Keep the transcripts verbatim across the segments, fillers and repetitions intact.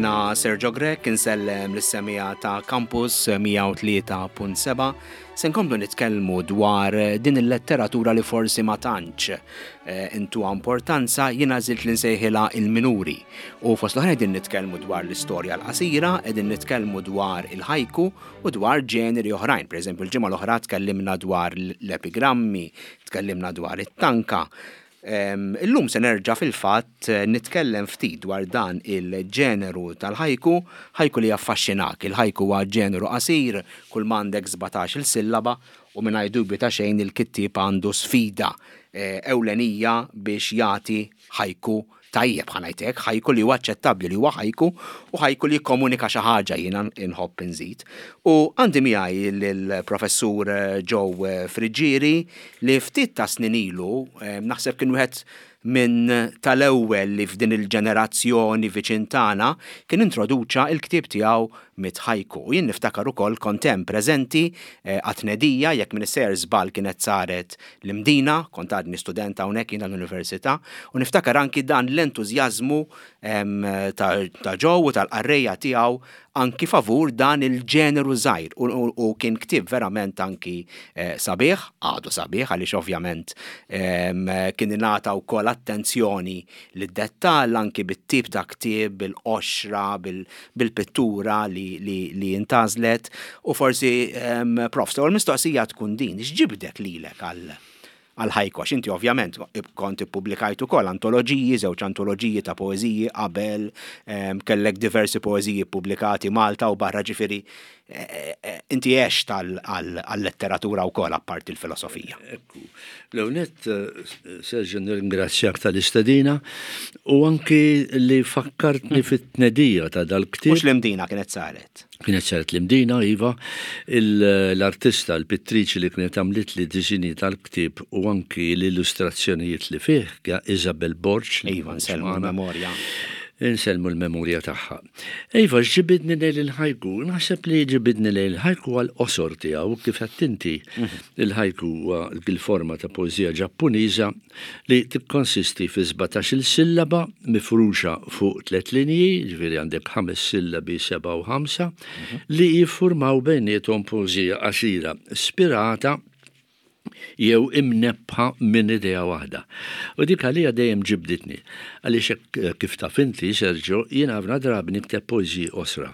Jiena Sergio Grech, insellem lis-semmiegħa ta' Campus mija u tlieta punt seba'. Se nkomplu nitkellmu dwar din il-letteratura li forsi ma tantx eh, intuha importanza, jiena għażilt li nsejħilha il-minuri. U fost l-oħra qegħdin nitkellmu dwar l-istorja l-qasira, qegħdin nitkellmu dwar il-ħajku u dwar ġeneri oħrajn. Per eżempju, il-ġimgħa l-oħra tkellimna dwar l-epigrammi, tkellimna dwar it-tanka. Illum se nerġa' fil-fatt eh, nitkellem ftit dwar dan il-ġeneru tal-ħajku, ħajku li jaffaxxinak. Il-ħajku huwa ġeneru qasir, kull m'għandek sbatax-il sillaba u mingħajr dubju ta' xejn il-kittieb għandu sfida eh, ewlenija biex jagħti ħajku tajjeb, ħa ngħidlek, ħajku li huwa aċċettabbli li huwa ħajku u ħajku li jikkomunika xi ħaġa, jiena inħobb inżid. U għandi miegħi l-professur eh, Joe Friggieri li ftit ta' snin ilu eh, naħseb kien wieħed minn tal-ewwel li f'din il-ġenerazzjoni viċin tagħna kien introduċa il-ktieb tiegħu Mitt Ħajku. U jien niftakar ukoll kont hemm preżenti eh, għat-tnedija, jekk m'iniex sejjer żball kienet saret l-Imdina, kont għadni student hawnhekk jiena l-università, u niftakar anki dan l-entużjażmu ta' ta' Joe u tal-qarrejja tiegħu anki favur dan il-ġeneru żgħir u, u, u kien ktieb verament anki eh, sabiħ, għadu sabiħ għaliex ovvjament em, kien ingħata wkoll attenzjoni lid-dettall anki bit-tip ta' ktieb, bil-qoxra, bil-pittura li, li, li intgħażlet u forsi um, prof, l mistoqsija tkun din, x'ġibdek lilek għal għal-ħajku, għax inti ovvjament kont ippubblikajt ukoll antoloġiji, żewġ antoloġiji ta' poeżiji qabel, em, kellek diversi poeżiji pubblikati Malta u barra, ġifieri eh, eh, inti għext għal-letteratura wkoll apparti il-filosofija. Ekku. L-ewwelnett, Sergio, nirringrazzjak tal-istedina u anki li fakkartni fit-tnedija ta' dal-ktieb. Mhux l-Imdina kienet saret? Kienet saret l-Imdina, iva, l-artista, l-pittriċi li kienet għamlit li disinji tal-ktieb u anki l-illustrazzjonijiet li fih, Isabel Borg. Iva, nsellmu l-memorja. Insellmu l-memorja tagħha. Iva, ġibidni lejn il-ħajku, naħseb li ġibidni lejn il-ħajku għal-qosor tiegħu, kif għedt inti, il-ħajku huwa il-forma ta' poeżija Ġappuniża li tikkonsisti fi sbatax-il sillaba mifruxa fuq tliet linji, ġifieri għandek ħames sillabi, seba' u ħamsa, li jiffurmaw bejniethom poeżija qasira, spirata jew imnebbħa minn idea waħda. U dik għalija dejjem ġibditni. Għaliex hekk kif taf inti, Sergio, jiena ħafna drabi nikteb poeżiji qosra.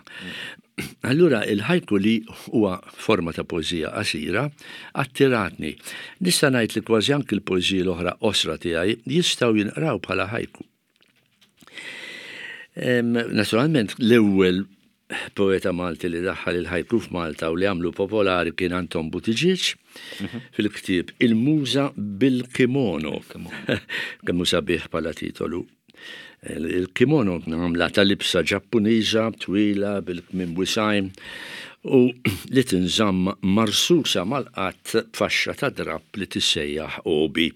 Allura il-ħajku, li huwa forma ta' poeżija qasira, attiratni. Nista' ngħid li kważi anki l-poeżiji l-oħra qosra tiegħi jistgħu jinqraw bħala ħajku. Naturalment, l-ewwel poeta Malti li daħħal il-ħajku f'Malta u li għamlu popolari kien Anton Buttigieg fil-ktieb Il-Muża bil-Kimono. Kemm sabiħ bħala titolu. Il-kimono għamla ta' libsa Ġappuniża twila bil-kmiem wisgħin u li tinżamm marsusa mal-qadd b'faxxa ta' drapp li tissejjaħ obi.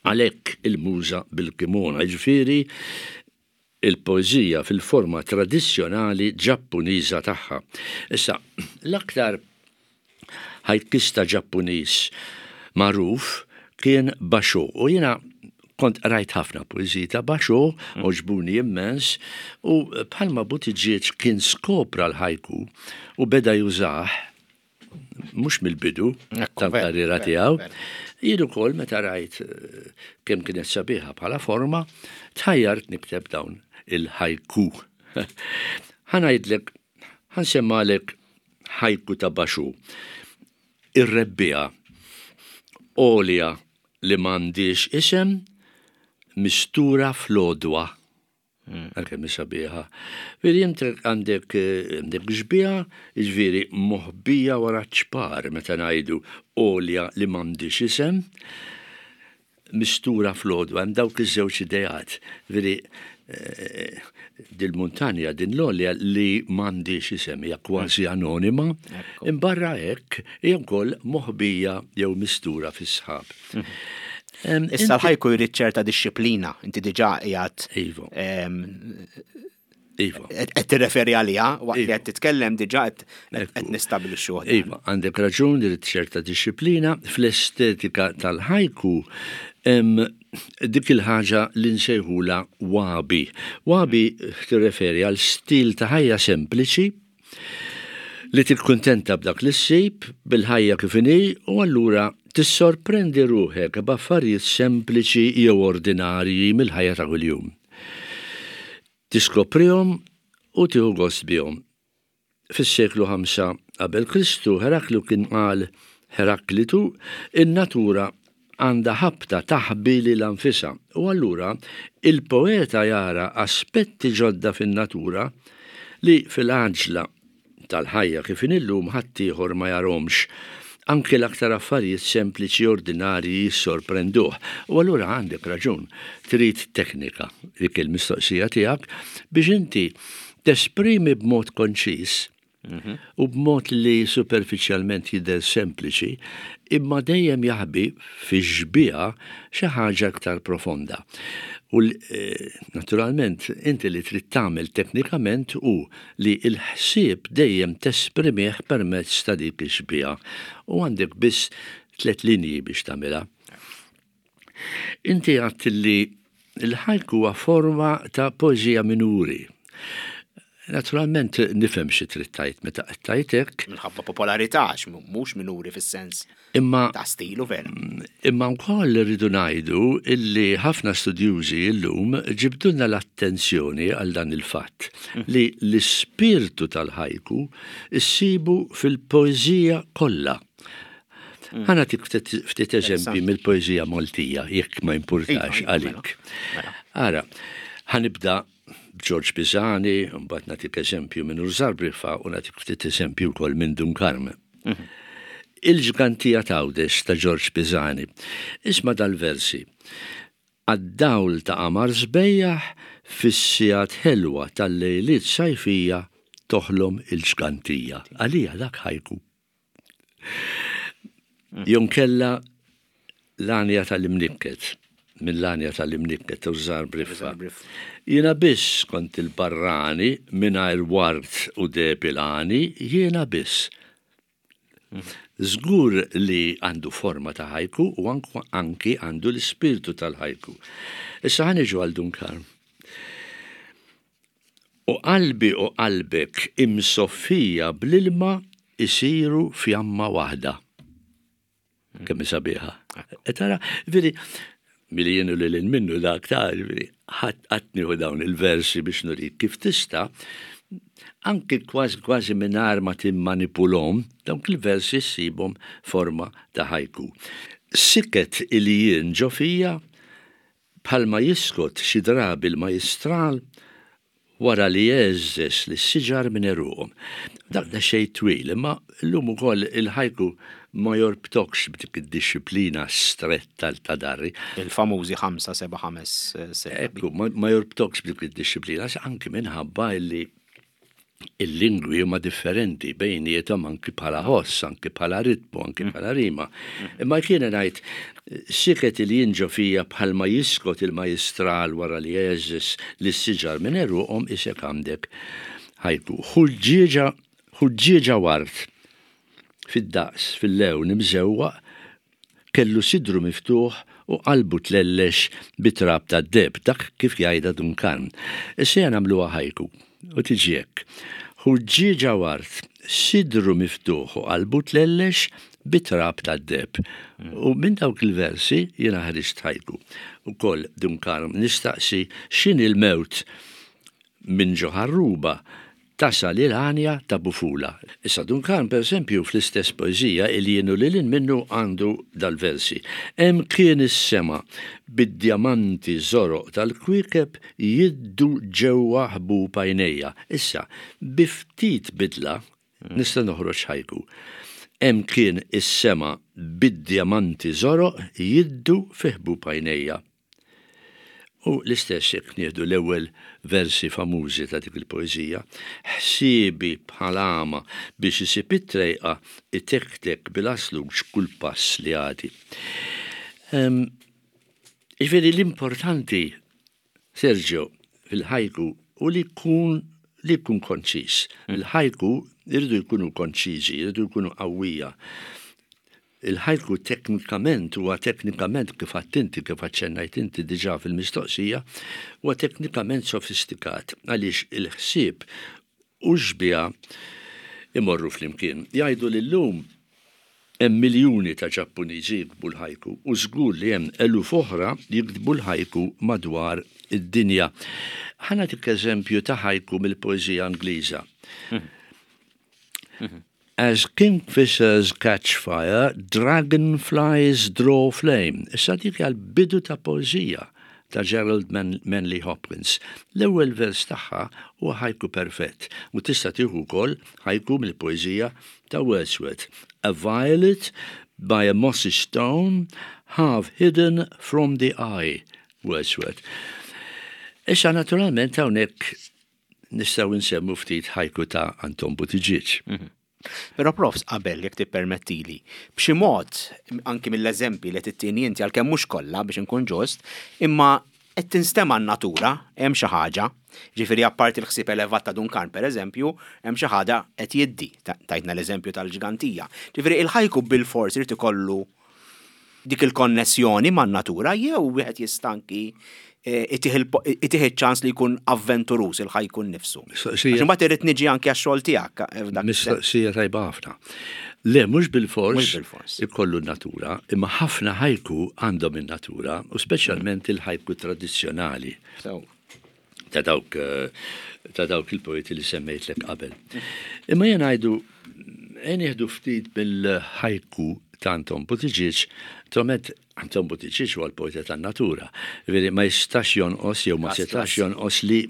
Għalhekk Il-Muża bil-Kimono, ġifieri il-poeżija fil-forma tradizzjonali Ġappuniża tagħha. Issa, l-aktar ħajkista Ġappuniż magħruf kien Basho u jiena kont rajt ħafna poeżiji ta' Basho, għoġbuni immens, u bħalma Buttigieg kien skopra l-ħajku u beda jużah mhux mill-bidu tal-karriera tiegħu. Jien ukoll meta rajt eh, kemm kienet sabiħa bħala forma, tħajjart nikteb dawn il-ħajku. Ħa ngħidlek, ħa nsemmalek ħajku ta' Basho. Ir-rebbiegħa. Għolja li m'għandhiex isem, mistura fl-għodwa. Għalkemm sabiħa. Veri inti għandek għandek xbieha, ġifieri moħbija wara ċpar meta ngħidu għolja li m'għandhiex isem, mistura fl-għodwa, hemm dawk iż-żewġ ideat. Veri eh, dil-muntanja, din l-għolja li m'għandhiex isem, hija kważi anonima, imbarra hekk hija wkoll moħbija jew mistura fis-sħab. Em, Issa l-ħajku jrid ċerta dixxiplina, inti diġà qiegħed Iva. Iva. qed tirreferi għaliha waqt li Iva. qed titkellem, diġà qed Ekku. qed nistabbilixxu. Iva, għandek raġun, irid ċerta dixxiplina. Fl-estetika tal-ħajku Hemm dik il-ħaġa li nsejħula wabi. Wabi tirreferi għal stil ta' ħajja sempliċi li tikkuntenta b'dak li ssib, bil-ħajja kif inhi, u allura tissorprendi ruħek b'affarijiet sempliċi jew ordinarji mill-ħajja ta' kuljum. Tiskoprihom u tieħu gost bihom. Fis-seklu ħamsa qabel Kristu, Heraklu kien qal, Heraklitu, in-natura għandha ħabta taħbi lilha nfisha, u allura il-poeta jara aspetti ġodda fin-natura li fil-għaġla tal-ħajja kif illum ħaddieħor ma jarhomx. Anke l-aktar affarijiet sempliċi ordinarji jissorprenduh. U allura għandek raġun, trid teknika, dik il-mistoqsija tiegħek, biex inti tesprimi b'mod konċis u b'mod li superfiċjalment jidher sempliċi, imma dejjem jaħbi fi xbieha xi ħaġa aktar profonda. U naturalment inti li trid tagħmel teknikament hu li l-ħsieb dejjem tesprimih permezz ta' dik ix-xbieha. U għandek biss tliet linji biex tagħmilha. Inti għadt li l-ħajku huwa forma ta' poeżija minuri. Naturalment nifhem xi trid tgħid meta qed tgħid hekk. Minħabba popolarità, għax mhux minuri fis-sens Imma ta' stilu vera. Imma wkoll irridu ngħidu illi ħafna studjużi llum ġibdulna l-attenzjoni għal dan il-fatt li l-ispirtu tal-ħajku issibu fil-poeżija kollha. Ħa nagħtik ftit eżempji mill-poeżija Maltija, jekk ma jimpurtax għalik. Ara, ħa nibda George Pisani, mbagħad nagħtik eżempju minn Rużar Briffa u nagħtik ftit eżempju wkoll minn Dun Karm. Il-Ġgantija t'Għawdex ta' George Pisani. Isma' dal-versi. Għad-dawl ta' qamar sbejjaħ fis-sigħat ħelwa tal-lejliet sajfija toħlom il-ġgantija. Għalija dak ħajku. Jonkella l-għanja tal-Imnikket, minn l-għanja tal-Imnikket Rużar Briffa. Jiena biss kont il-barrani mingħajr ward u depilani, jiena biss. Żgur li għandu forma ta' ħajku u anki għandu l-ispirtu tal-ħajku. Issa ħa niġu għal Dun Karm. U qalbi u qalbek imsoffija bl-ilma isiru fjamma waħda. Kemm sabiħa. E tara, veri, milli jien u lil minnu dak ta' veri, ħadd nieħu dawn il-versi biex nurik kif tista' anki kważi kważi mingħajr ma timmanipulhom, dawk il-versi ssibhom forma ta' ħajku. Siket il jien ġo fija bħalma jiskot xi drabi l-majstral wara li jeżżes li s-siġar minn eruqhom. Dak da xejn twil, imma llum ukoll il-ħajku ma jorbtokx b'dik id-disciplina stretta ta' darri. Il-famużi ħamsa, seba', ħames, seba'. Ekku, ma jorbtokx b'dik id-disciplina, anki minħabba illi il-lingwi huma differenti bejniethom anki bħala ħoss, anki bħala ritmu, anki bħala rima. Imma kiena ngħid siket il jinġo fija bħalma jiskot il-majstral wara li jeżis li s-siġar minn eruqhom isek għandek ħajku. Ħuġġieġa, ħuġġieġa ward fid-daqs, fil-lewn imżewwaq, kellu sidru miftuħ u qalbu tlellex bitrab ta' deb, dak kif jgħidha Dun Karm. Issa nagħmluha ħajku. U tiġi hekk. Ħuġġieġa ward, sidru miftuħ u qalbu tlellex bitrab ta' deb. U minn dawk il-versi jiena ħriġt ħajku. Ukoll Dun Karm nistaqsi x'inhi l-mewt minn ġo ħarruba tasal il-għanja ta' Bufula. Issa Dun Karm, per eżempju, fl-istess poeżija il jienu lil minnu għandu dal-versi. Hemm kien is-sema bid-djamanti żoroq tal-kwiekeb jiddu ġewwa ħbub għajnejja. Issa, bi ftit bidla nista' noħroġ ħajku. Hemm kien is-sema bid-djamanti żoroq jiddu fi ħbub għajnejja. U l-istess jekk nieħdu l-ewwel versi famużi ta' dik il-poeżija, ħsiebi bħalama biex isib it-trejqa itektek bil-asluġ kull pass li għadi. Jiġifieri l-importanti, Sergio, fil-ħajku u li jkun li jkun konċis. Il-ħajku jridu jkunu konċiżi, jridu jkunu qawwija. Il-ħajku teknikament huwa teknikament kif inti kif aċċennajt inti diġà fil-mistoqsija, huwa teknikament sofistikat għaliex il-ħsieb u xbieha imorru flimkien. Jgħidu li llum hemm miljuni ta' Ġappuniżi jiktbu l-ħajku u żgur li hemm eluf oħra jiktbu l-ħajku madwar id-dinja. Ħa nagħtik eżempju ta' ħajku mill-poeżija Ingliża. "As kingfishers catch fire, dragonflies draw flame." Issa dik għal-bidu ta' poeżija ta' Gerald Man Manley Hopkins. L-ewwel vers tagħha huwa ħajku perfett u tista' tieħu wkoll ħajku mill-poeżija ta' Wordsworth. "A violet by a mossy stone, half hidden from the eye." Wordsworth. Issa naturalment hawnhekk nistgħu nsemmu ftit ħajku ta' Anton Buttigieg. Mm -hmm. Però, profs, qabel, jekk tippermettili, b'xi mod, anki mill-eżempi li tittini inti, għalkemm mhux kollha biex inkun ġust, imma qed tinstema' n-natura, hemm xi ħaġa, ġifieri apparti l-ħsieb elevat ta' Dun Karm, pereżempju, hemm xi ħaġa qed jiddi, tajtna l-eżempju tal-ġgantija. Ġifieri il-ħajku bil-fors irid ikollu dik il-konnessjoni man-natura jew wieħed jista' anki eh, itih ċans li jkun avventuruż il-ħajku nnifsu? Għax imbagħad irrid niġi anke għax-xogħol tiegħek. Eh, Mistoqsija tajba ħafna. Le, mhux bil-fors ikollu natura, imma ħafna ħajku għandhom in-natura, u speċjalment il-ħajku tradizzjonali. Ta' dawk eh, ta' dawk il-poeti li semmejtlek qabel. Imma jien ngħidu nieħdu ftit bil-ħajku ta' Anton Buttigieg, tomet Anton Buttigieg huwa l-poeta tan-natura. Veri ma jistax jonqos jew ma setax jonqos li.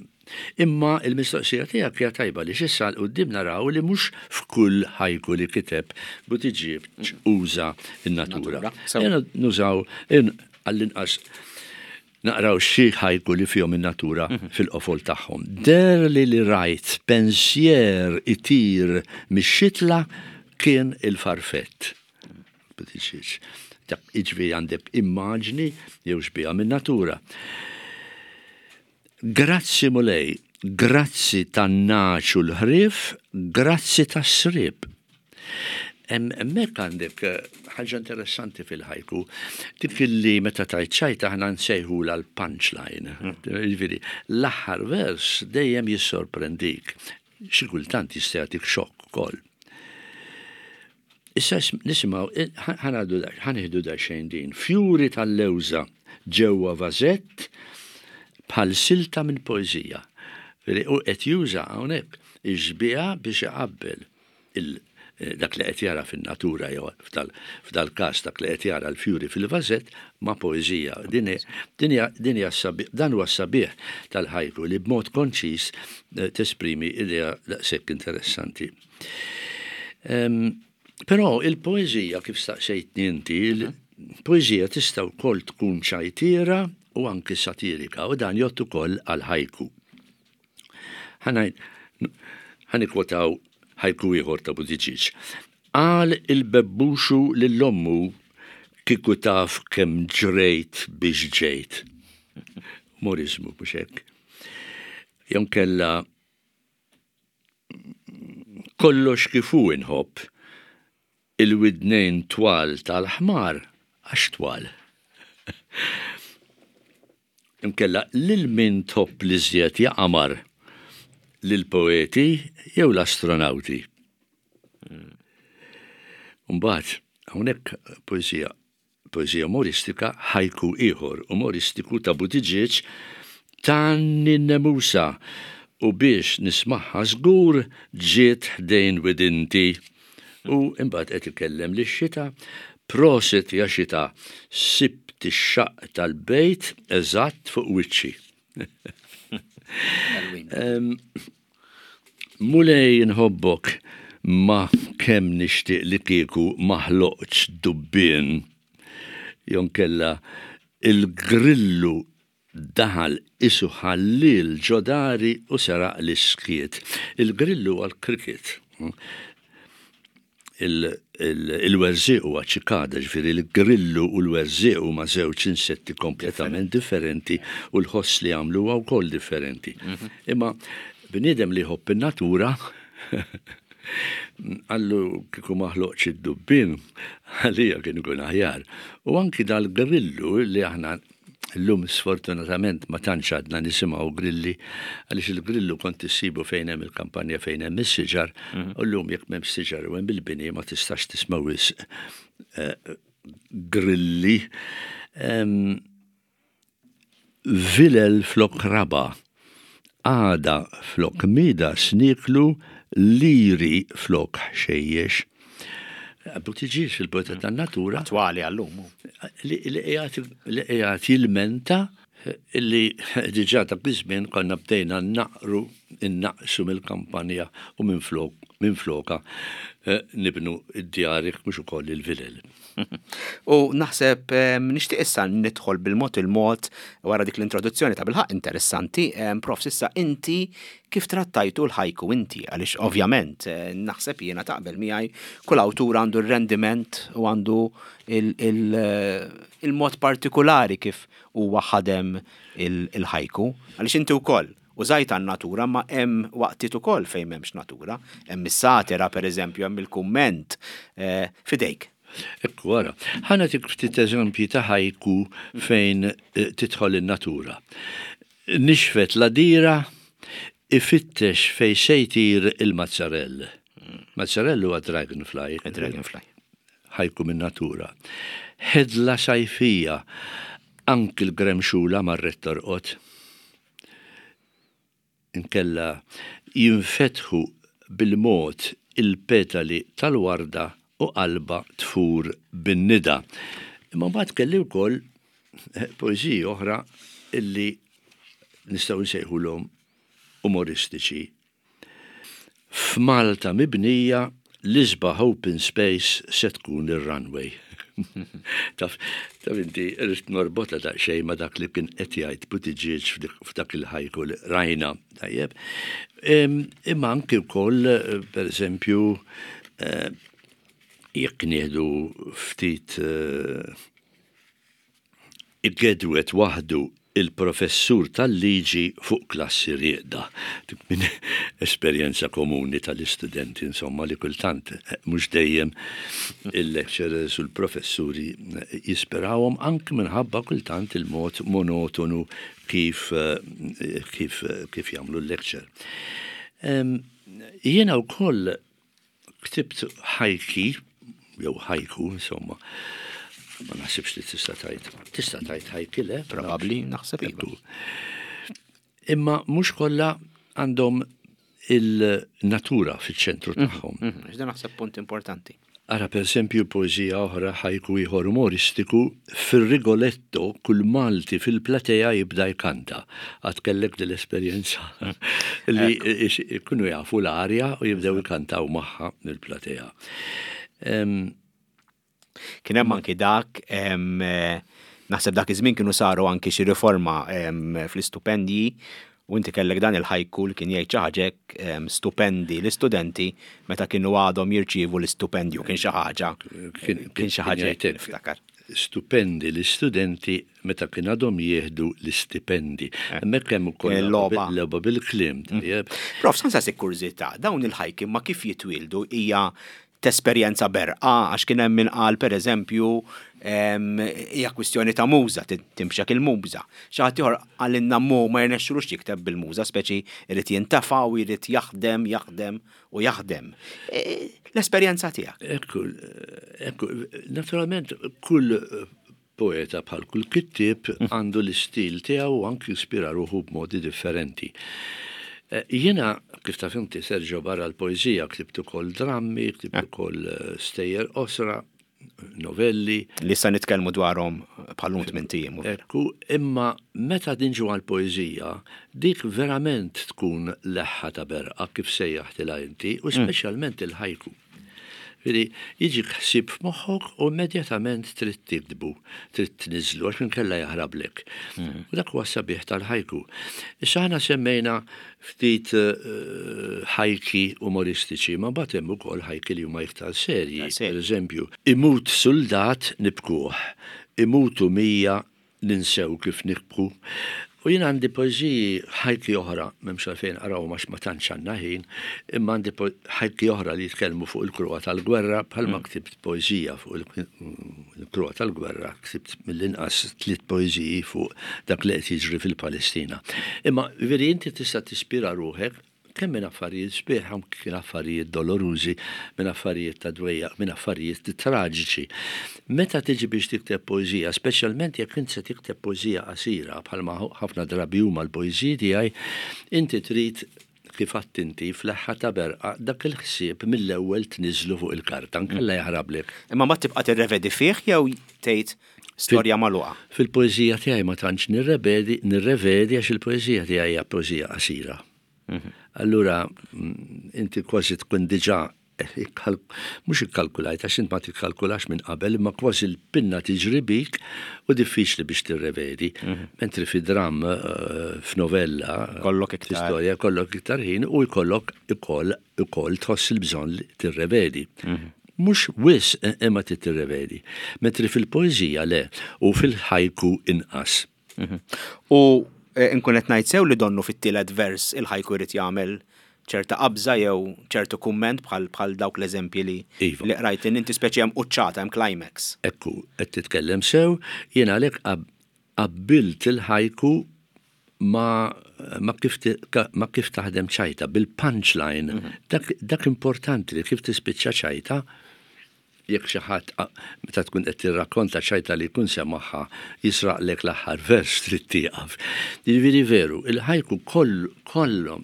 Imma il-mistoqsija tiegħek hija tajba li x'issa quddiem naraw li mhux f'kull ħajku li kiteb Buttigieg uża n-natura. Jena nużaw għall-inqas naqraw xi ħajku li fihom in-natura mhm. fil-qofol tagħhom. "Der li li rajt pensier itir mix-xitla kien il-farfett." Buttigieg. Iġvi għandek immaġni jew xbieha minn natura. "Grazzi Mulej, grazzi tan-nagħaġ u l-ħrief, grazzi tas-sriep." Hemmhekk għandek eh, ħaġa interessanti fil-ħajku, dik li meta tajt ċajta aħna nsejħu l-punchline. Mm. Ġifieri, l-aħħar vers dejjem jissorprendik. Xi kultant jista' jagħtik xokk ukoll. Issa nisimgħu, eh, ħa nieħdu xejn din. "Fjuri tal-lewża ġewwa vażett bħal silta minn poeżija." U qed juża hawnhekk ix-xbieha biex iqabbel eh, dak li qed jara fin-natura jew f'dal-każ dak li qed jara l-fjuri fil-vażett ma' poeżija. Din hija dan huwa sabiħ tal-ħajku li b'mod konċis eh, tesprimi idea daqshekk interessanti. Però il-poeżija, kif staqsejtni inti, il-poeżija tista' wkoll tkun ċajtiera u anki satirika u dan jgħodd ukoll għal ħajku. Ħa nikkwotaw ħajku ieħor ta' Buttigieg. "Qal il-bebbuxu lil ommu kieku taf kemm ġrejt biex ġejt." Umorizmu, mhux hekk? Jew kella "Kollox kif hu inħobb, il-widnejn twal tal-ħmar għax twal." Inkella "Lil min tħobb l-iżjed ja qamar, lil-poeti jew l-astronauti?" Mbagħad hawnhekk poeżija poeżija umoristika, ħajku ieħor umoristiku ta' Buttigieg: "Tgħanni n-nemusa u biex nismagħha żgur ġiet ħdejn widinti." U imbagħad qed ikellem lix-xita: "Prosit ja xita, sibt ix-xaqq tal-bejt eżatt fuq wiċċi." "Mulej nħobbok ma kemm nixtieq li kieku ma ħloqtx dubbien." Jonkella "Il-grillu daħal qisu ħalliel ġo dari u seraq l-iskiet." Il-grillu għal cricket. Il-werżieq huwa ċikada, ġifieri l-grillu u l-werżieq huma żewġ insetti kompletament differenti u l-ħoss li jagħmlu huwa wkoll differenti. Mhm. Imma bniedem li jħobb in-natura Qallu kieku ma ħloqx id-dubbien, għalija kien ikun aħjar. U anki dal-grillu li aħna llum sfortunatament ma tantx għadna nisimgħu grilli, għaliex il-grillu kont issibu fejn hemm il-kampanja, fejn hemm is-siġar, mhm. u llum jekk m'hemm siġar u hemm il-bini ma tistax tisma' wisq eh, grilli. Vilel flok raba, għada flok Midas nieklu, liri flok ħxejjex. Buttigieg, il-poeta tan-natura. Attwali għallum. Li qiegħed jilmenta illi diġà dak iż-żmien konna bdejna naqru innaqsu mill-kampanja u minflok minfloka eh, nibnu id-djar jekk mhux ukoll il-vilel. U naħseb nixtieq issa nidħol bil-mod il-mod wara dik l-introduzzjoni ta' bilħaq interessanti, prof issa inti kif trattajtu l-ħajku inti, għaliex ovvjament eh, naħseb jiena taqbel miegħi kull awtur għandu r-rendiment u għandu eh, il-mod partikolari kif huwa ħadem il-ħajku, għaliex inti wkoll użajt għan-natura ma hemm waqtiet ukoll fejn m'hemmx natura, hemm is-satira pereżempju, hemm il-kumment eh, fidejk. Ekku, ara, ħa nagħtik ftit eżempji ta' ħajku fejn eh, tidħol in-natura. Nixfet l-għadira, ifittex fejn se jtir il-mazzarell. Mazzarell huwa dragonfly. Dragonfly. Ħajku min-natura. Ħedla sajfija, anki l-gremxula marret torqod. Inkella jinfetħu bil-mod il-petali tal-warda u qalbha tfur bin-nida. Imma mbagħad kelli wkoll eh, poeżiji oħra illi nistgħu nsejħulhom umoristiċi. F'Malta mibnija l-isbaħ open space se tkun ir-runway. Taf, taf inti rrid norbotha daqsxejn ma' dak li kien qed jgħid Buttigieg f'dak il-ħajku li rajna. Tajjeb. Imma anki wkoll, per eżempju, eh, jekk nieħdu ftit eh, igedwet waħdu il-professur tal-liġi fuq klassi rieqda. Minn esperjenza komuni tal-istudenti, insomma, li kultant eh, mhux dejjem il-lecturers u l-professuri eh, jispirawhom anki minħabba kultant il-mod monotonu kif eh, kif kif jagħmlu l-lecture. Jiena wkoll ktibt ħajki, jew ħajku, insomma, ma naħsibx li tista' tgħid. Tista' tgħid ħajki le? Probabbli naħseb iva. Imma mhux kollha għandhom il-natura fiċ-ċentru mhm, tagħhom. Mhm, dan naħseb punt importanti. Ara per esempio poeżija oħra, ħajku ieħor umoristiku, fir-Rigoletto kull Malti fil-platea jibda jkanta. Għad kellek dil-esperjenza li jkunu jafu l-arja u jibdew jkantaw magħha mill-platea. Kien hemm anki dak, naħseb dak iż-żmien kienu saru anki xi riforma fl-istupendji u inti kellek dan il-ħajku li kien jgħid xi ħaġa hekk, stupendi l-istudenti meta kienu għadhom jirċievu l-istupendju, kien xi ħaġa kien xi ħaġa hekk niftakar. Stupendi l-istudenti meta kien għadhom jieħdu l-istipendi. Eh. Hemmhekk hemm ukoll logħba logħba bil-kliem, mm. tajjeb. Prof, sa nsaqsik kurżità, dawn il-ħajki ma kif jitwieldu hija tesperjenza berqa għax kien hemm min qal pereżempju hija kwistjoni ta' muża, timxek il-muża. Xi ħadd ieħor qalilna mu ma jirnexxilux jikteb bil-muża, speċi jrid jintefa' u jrid jaħdem, jaħdem u jaħdem. E, l-esperjenza tiegħek. Ekku, ekku, naturalment kull poeta bħal kull kittieb mm. għandu l-istil tiegħu u anki jispira ruħu b'modi differenti. Eh, jiena, kif taf inti, Sergio, barra l-poeżija ktibt ukoll drammi, ktibt eh. ukoll eh, stejjer qosra, novelli. Li sa nitkellmu dwarhom bħal tmien ijiem. Ekku, imma meta dinġu għal-poeżija, dik verament tkun leħħa ta' berqa kif sejjaħtilha inti, u mm. speċjalment il-ħajku. Jiġifieri jiġik ħsieb f'moħħok u immedjatament trid tiktbu, trid tniżżlu għax inkella jaħrablek. Mm. U dak huwa sabiħ tal-ħajku. Issa aħna semmejna ftit eh, ħajki umoristiċi, ma mbagħad hemm ukoll ħajki li huma iktar serji. Per eżempju, imut suldat nibkuh, imutu mija ninsew kif nibku. U jien għandi poeżiji ħajki oħra, m'hemmx għalfejn naqraw għax ma tantx għandna ħin, imma għandi ħajki oħra li jitkellmu fuq il-kruha tal-gwerra, bħalma mm. ktibt poeżija fuq il-kruha tal-gwerra, ktibt mill-inqas tliet poeżiji fuq dak li qed jiġri fil-Palestina. Imma veri inti tista' tispira ruħek kemm minn affarijiet sbieħ, kien affarijiet dolorużi, minn affarijiet ta' dwejjaq, minn affarijiet traġiċi. Meta tiġi biex tikteb poeżija, speċjalment jekk inti se tikteb poeżija qasira, bħalma ħafna drabi huma l-poeżiji tiegħi, inti trid kif għedt inti f'leħħa ta' berqa dak il-ħsieb mill-ewwel tniżlu fuq il-karta, nkella jaħrablek. Imma ma tibqa' tirrevedi fih jew tgħid storja magħluqa? Fil-poeżija tiegħi ma tantx nirrevedi, nirrevedi għax il-poeżija tiegħi hija poeżija qasira. Mhm. Allura, mm, inti kważi tkun diġà mhux ikkalkulajt, għax int ma tikkalkulax minn qabel, imma kważi l-pinna tiġri bik u diffiċli biex tirrevedi. Mhm. Mentri fi dram, eh, f'novella, kollok iktar. Storja, kollok iktar ħin u jkollok ukoll ukoll tħoss il-bżonn li tirrevedi. Mhm. Mhux wisq eh, imma tirrevedi. Mentri fil-poeżija le, u fil-ħajku inqas. Mhm. U eh, nkun qed ngħid sew li donnu fit-tielet vers il-ħajku jrid jagħmel ċerta qabża jew ċertu kumment bħal bħal dawk l-eżempji li iva. li qrajt inti speċi hemm quċċata hemm climax. Ekku, qed titkellem sew, jien għalhekk qabbilt il-ħajku ma ma kif, ma kif taħdem ċajta bil-punchline. Mm -hmm. dak, dak importanti li kif tispiċċa ċajta jekk xi ħadd meta tkun qed tirrakkonta ċajta li jkun semagħha jisraqlek l-aħħar vers trid tieqaf. Jiġifieri veru, il-ħajku kollu kollu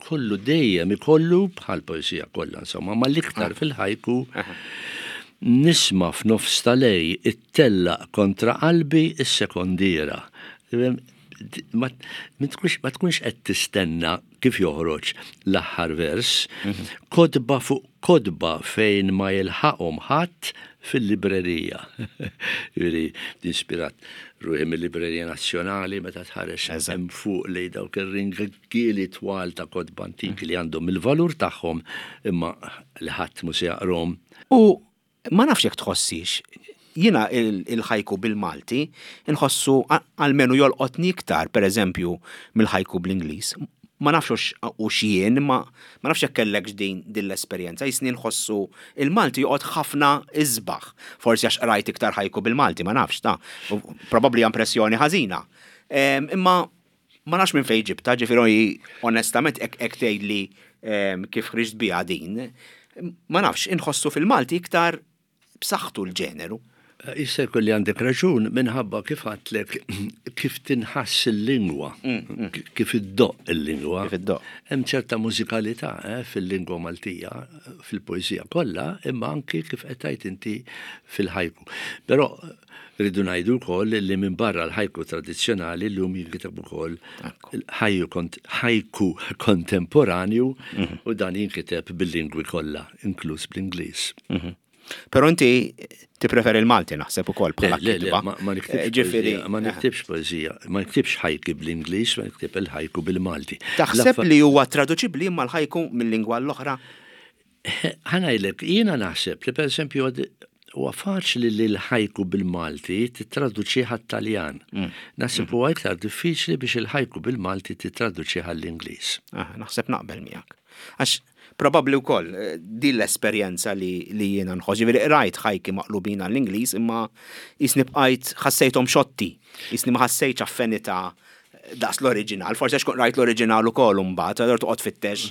kollu dejjem ikollu bħal poesija kollha insomma, ma l-iktar fil-ħajku nisma' f'nofs tal-lejl ittellaq kontra qalbi is-sekondiera. Ma tkunx qed tistenna kif joħroġ l-aħħar vers, mhm. kotba fuq kotba fejn ma jilħaqhom ħadd fil-librerija. Jiġifieri, inspirat ruħi mill-Librerija Nazzjonali meta tħares hemm fuq li dawk ir-ringieli twal ta' kotba antiki li għandhom il-valur tagħhom imma li ħadd mhu se jaqrahom. U ma nafx jekk tħossix, jiena il-ħajku bil-Malti nħossu almenu jolqotni iktar, per eżempju, mill-ħajku bl-Ingliż. Ma nafx u x'jien, ma ma nafx jekk kellek din din l-esperjenza, jisni nħossu il-Malti joqgħod ħafna isbaħ. Forsi għax qrajt iktar ħajku bil-Malti, ma nafx ta' probabbli impressjoni ħażina. Imma ma nafx minn fejn ġibta, ġifieri onestament hekk tgħidli kif ħriġt biha din, ma nafx inħossu fil-Malti iktar b'saħħtu l-ġeneru. Jista' jkun li għandek raġun minħabba kif għedtlek kif tinħass il-lingwa, mm, mm. kif iddoqq il-lingwa. Kif iddoqq. Hemm ċerta mużikalità eh, fil-lingwa Maltija, fil-poeżija kollha, imma anki kif qed tgħid inti fil-ħajku. Però rridu ngħidu wkoll li minn barra l-ħajku tradizzjonali llum jinkiteb ukoll ħajku kontemporanju mhm. u dan jinkiteb bil-lingwi kollha, inkluż bl-Ingliż. Mhm. Però inti tippreferi il-Malti naħseb ukoll bħala kitba. Ma niktibx ġifieri ma niktibx poeżija, ma niktibx ħajki bl-Ingliż, ma niktib il-ħajku bil-Malti. Taħseb li huwa traduċibbli imma l-ħajku mill-lingwa l-oħra? Ħa ngħidlek, jiena naħseb li pereżempju huwa faċli li l-ħajku bil-Malti titraduċih għat-Taljan. Mm. Naħseb huwa iktar diffiċli biex il-ħajku bil-Malti titraduċih għall-Ingliż. Ah, naħseb naqbel miegħek. Għax probabbli wkoll eh, din l-esperjenza li, li jiena nħoss, ġifieri rajt ħajki maqlubin għall-Ingliż imma jisni bqajt ħassejthom xotti, jisni ma ħassejtx affinità daqs l-oriġinal, forsi għax rajt l-oriġinal ukoll imbagħad, allura toqgħod fittex.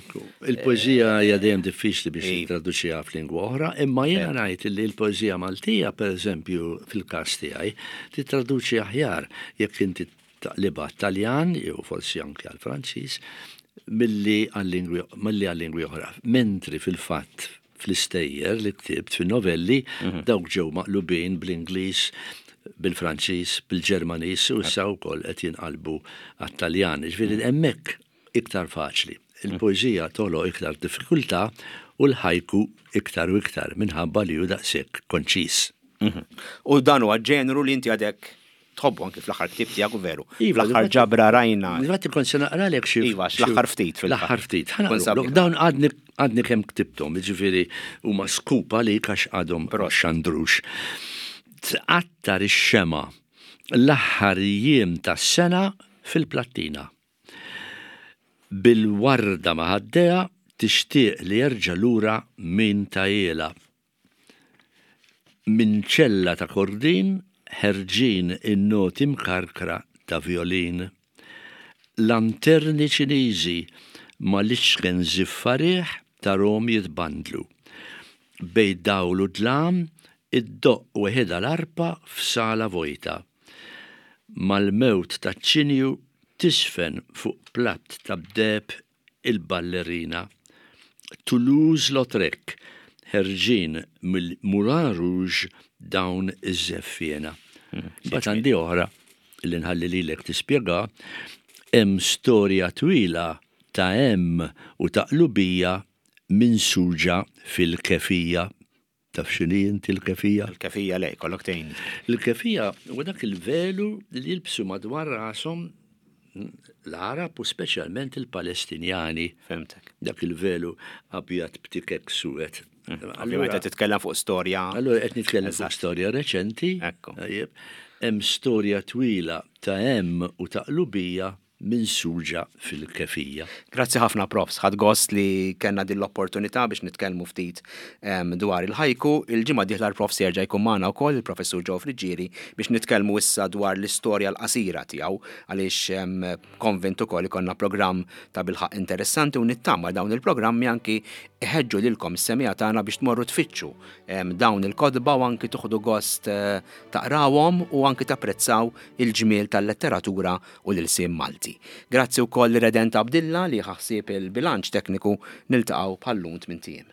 Il-poeżija hija dejjem diffiċli biex Iva. titraduċiha f'lingwa oħra, imma jiena ngħid li l-poeżija Maltija, pereżempju, fil-każ tiegħi, titraduċi aħjar jekk inti taqlibha Taljan jew forsi anke għal Franċiż milli għal-lingwi milli għal-lingwi oħra. Mentri fil-fatt fl-istejjer li ktibt fin-novelli mhm. dawk ġew maqlubin bl-Ingliż, bil-Franċiż, bil-Ġermaniż u issa wkoll qed jinqalbu għat-Taljan. Ġifieri hemmhekk iktar faċli. Il-poeżija toħloq iktar diffikultà u l-ħajku iktar u iktar minħabba li hu daqshekk konċis. Mhm. U dan huwa ġeneru li inti għadek tħobbu anki fl-aħħar ktieb tiegħek u veru. Iva, Fl-aħħar ġabra rajna. Infatti kont se naqralek xi. Iva, l-aħħar ftit fil L-aħħar ftit. Dawn għadni għadni kemm ktibthom, jiġifieri huma skupa li għax għadhom xandrux. Tqattar ix-xema l-aħħar jiem tas-sena fil-plattina. Bil-warda ma' ħaddejha tixtieq li jerġa' lura min tahielha. Minn ċella ta' kordin ħerġin in-noti mkarkra ta' violin. Lanterni Ċiniżi mal-iċken żiffa riħ tarahom jitbandlu. Bejn dawl u dlam iddoqq weħidha l-arpa f'sala vojta. Mal-mewt taċ-ċinju tiżfen fuq platt tad-deheb il-ballerina. Toulouse-Lautrec ħerġin mill-Moulin Rouge dawn iż-żeffiena. Mbagħad għandi oħra li nħalli lilek tispjega, hemm storja twila ta' hemm u ta' qlubija minsuġa fil-kefija. Taf x'inhi inti l-kefija? Il-kefija le, kollok tgħin. Il-kefija huwa dak il-velu li jilbsu madwar rashom l-Arab u speċjalment il-Palestinjani. Fhimtek. Dak il-velu abjad b'tikek suwed. Ovvjament qed titkellem fuq storja. Allura qed nitkellem fuq storja reċenti. Ekku. Tajjeb. Hemm storja twila ta' hemm u ta' qlubija minsuġa fil-kefija. Grazzi ħafna, Profs. Ħadt gost li kellna din l-opportunità biex nitkellmu ftit em, dwar il-ħajku. Il-ġimgħa dieħla l-Profs jerġa' jkun magħna wkoll il-Professur Joe Friggieri biex nitkellmu issa dwar l-istorja l-qasira tiegħu, għaliex em, konvint ukoll ikollna programm ta' bilħaq interessanti u nittama dawn il-programmi anki iħeġġu lilkom is-semmiegħa tagħna biex tmorru tfittxu em, dawn il-kotba u anki tieħdu gost eh, taqrawhom u anki tapprezzaw il-ġmiel tal-letteratura u l-ilsien Malti. Grazzi wkoll Redent Abdilla li ħa ħsieb il-bilanċ tekniku. Niltaqgħu bħal-lum tmint ijiem.